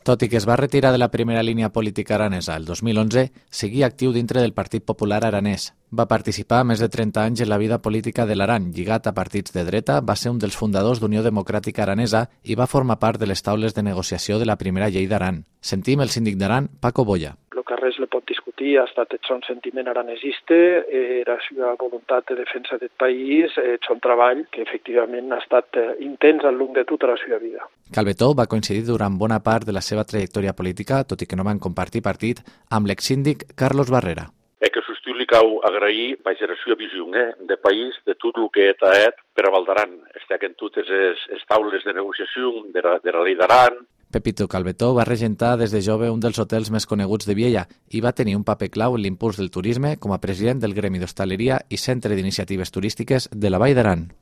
Tot i que es va retirar de la primera línia política aranesa el 2011, seguia actiu dintre del Partit Popular Aranès. Va participar més de 30 anys en la vida política de l'Aran, lligat a partits de dreta, va ser un dels fundadors d'Unió Democràtica Aranesa i va formar part de les taules de negociació de la primera llei d'Aran. Sentim el síndic d'Aran, Paco Boya. El que res le pot discutir ha estat un sentiment aranesista, era la seva voluntat de defensa del país, un treball que efectivament ha estat intens al llarg de tota la seva vida. Calvetó va coincidir durant bona part de la seva trajectòria política, tot i que no van compartir partit, amb l'exsíndic Carlos Barrera. Que sustiu li cau agrair la seva visió de país, de tot el que ha per a Valdaran. Estaquen totes les taules de negociació de la llei d'Aran. Pepito Calvetó va regentar des de jove un dels hotels més coneguts de Viella i va tenir un paper clau en l'impuls del turisme com a president del Gremi d'Hostaleria i Centre d'Iniciatives Turístiques de la Vall d'Aran.